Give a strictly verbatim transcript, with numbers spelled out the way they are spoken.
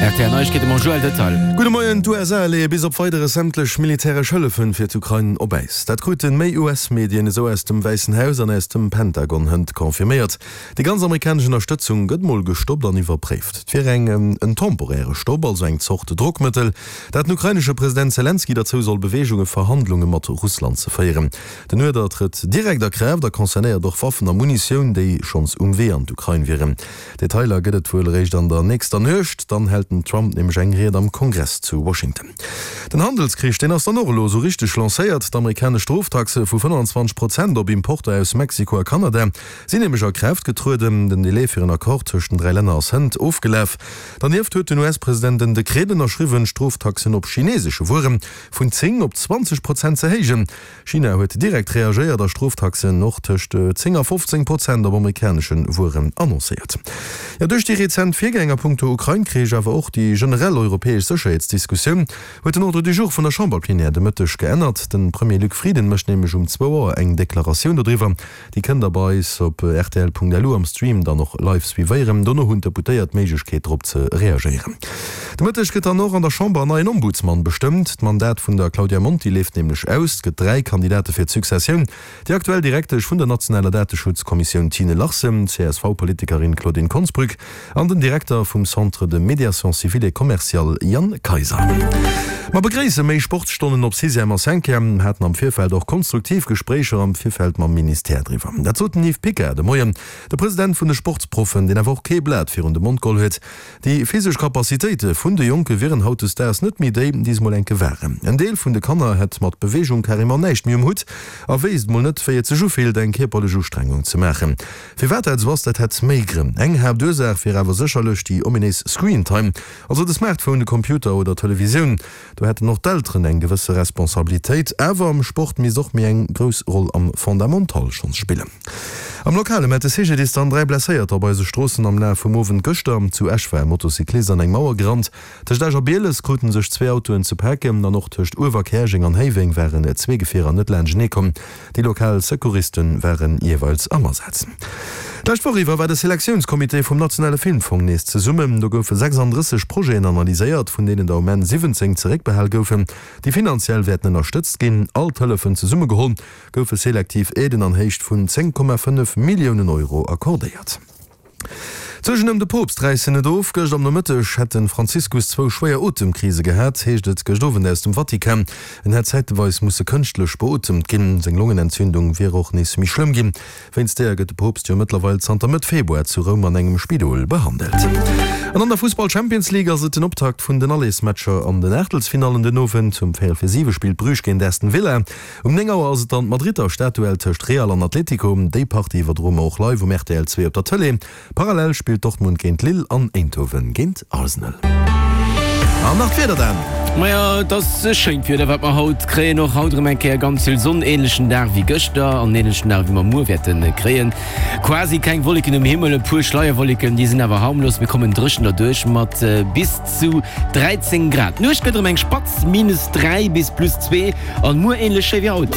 Rtl Neiegkeete mam Joël Detail. Gudde Moien, D'USA leeë bis op Weideres sämtlech militäresch Hëllefen fir d'Ukrain op Äis. Dat kruten méi US-Medien esou aus dem Wäissen Haus an aus dem Pentagon hënt confirméiert. Déi ganz amerikanesch Ënnerstëtzung gëtt mol gestoppt an iwwerpréift. Et wier eng en temporäre Stopp, also eng Zort Drockmëttel, dat den ukrainesche President Selenskyj derzou soll beweegunge Verhandlunge mat Russland ze féieren. Den Uerder trëtt direkt a Kraaft a concernéiert och Waffen a Munitioun, déi schonns um Wee an d'Ukrain wieren. Detailer gëtt et wuel eréischt an der nächster Nuecht, dann hält den Trump nämlech eng Ried am Kongress zu Washington. Den Handelskrich, deen ass dann och elo esou richteg lancéiert. D'amerikanesch Stroftaxe vu fënnanzwanzeg Prozent op Importer aus Mexiko a Kanada sinn nämlech a Kraaft getrueden. Den Delai fir en Accord tëscht den dräi Länner ass hënt ofgelaf. Dernieft huet den U S-President en Dekret ënnerschriwwen, d'Stroftaxen op chinesesche Wuere vun zéng op zwanzeg Prozent ze héijen. China huet direkt reagéiert a Stroftaxen och tëscht zéng a fofzéng Prozent op amerikanesche Wueren annoncéiert. Jo, duerch déi rezent Virgäng a punkto Ukrain-Krich, awer och déi generell europäesch Sécherheetsdiskussioun, huet den Ordre du jour vun der Chamberplénière de Mëtteg geännert. De Premier Luc Frieden mécht nämlech um zwou Auer eng Deklaratioun dodriwwer. Déi kënnt der bei eis op rtl Punkt L U am Stream dann och live suivéieren. Dono hunn d'Deputéiert d'Méiglechkeet drop ze reagéieren. De Mëtteg gëtt dann och an der Chamber en neien Ombudsman bestëmmt. D'Mandat vun der Claudia Monti leeft nämlech aus. Et gëtt dräi Kandidate fir d'Successioun, déi aktuell Direktesch vun der nationaler Dateschutzkommissioun Tine Larsen, d'C S V-Politikerin Claudine Konsbrück an den Direkter vum Centre de médiation civile et commerciale Jan Kayser. Mer begréisse méi Sportsstonnen op Sixième a Cinquième, haten am Virfeld och konstruktiv Gespréicher am Virfeld mam Ministère driwwer. Dat sot den Yves Picard de Moien, de President vun de Sportsproffen, deen awer och kee Blat virun de Mond geholl huet. Déi physesch Capacitéite vun de Jonke wieren hautdesdaags net méi déi, déi se mol enke waren. En Deel vun de Kanner hätt mat Beweegung carrément näischt méi um Hutt a wéisst mol net, wéi et sech ufillt, eng kierperlech Ustrengung ze maachen. Firwat dat esou ass, dat hätt méi Grënn. Eng Haaptursaach wier awer sécherlech déi ominéis Screentime, also de Smartphone, de Computer oder d'Televisioun. Do hätten och d'Elteren eng gewësse Responsabilitéit. Awer am Sport misst och méi eng grouss Roll am Fondamental schonns spillen. Am Lokale mellt de C G D I S dann dräi Blesséierter op eise Stroossen am Laf vum Owend gëschter. Zu Esch war e Motocyclist an eng Mauer gerannt. Tëscht Esch a Bieles krute sech zwee Autoen ze paken an och tëscht Uewerkäerjeng an Héiweng waren zwee Gefierer net laanschtenee komm. Déi lokal Secouriste waren jeeweils am Asaz. D'lescht Woch iwwer war de Selektiounscomité vum Nationale Filmfong nees zesummen. Do goufe sechsanddrësseg Projeten analyséiert, vun deenen der um Enn siwwenzéng zeréckbehal goufen, déi finanziell wäerten ënnerstëtzt ginn. All d'Hëllefen zesummegeholl goufe selektiv Aiden an Héicht vun zéng Komma fënnef Milliounen Euro accordéiert. D'Suergen ëm de Poopst räissen net of. Gëscht am Nomëtteg hätt de Franziskus zwou schwéier Otemkrise gehat, heescht et gëscht Owend aus dem Vatikan. En hätt zäiteweis musse kënschtlech beotemt ginn. Seng Longenentzündung wier och nees méi schlëmm ginn. Wéinst deeër gëtt de Poopst jo mëttlerweil zanter Mëtt Februar zu Roum an engem Spidol behandelt. An an der Fussball-Champions League ass et den Optakt vun den Allersmatcher an den Aachtelsfinallen den Owend. Um véierel fir siwe spillt Bruges géint Aston Villa. Um néng Auer ass et dann d'Madridder Stadduell tëscht Real an Atlético. Déi Partie iwwerdroe mer och live um R T L zwee op der Tëlee. Parallel spillt Dortmund géint Lille an Eindhoven géint Arsenal. An nach d'Wieder dann. Maja, et ass e schéint Wieder, wat mer haut kréien. Och haut erëm eng Kéier ganz vill Sonn, änlechen Dag wéi gëschter an änlechen Dag wéi mer muer wäerte kréien. Quasi keng Wolleken um Himmel, e puer Schleierwolleken, déi sinn awer harmlos. Mir kommen dréchen derduerch mat bis zu dräizéng Grad. D'Nuecht gëtt erëm eng spatz, minus dräi bis plus zwee an muer änlech schéi wéi haut.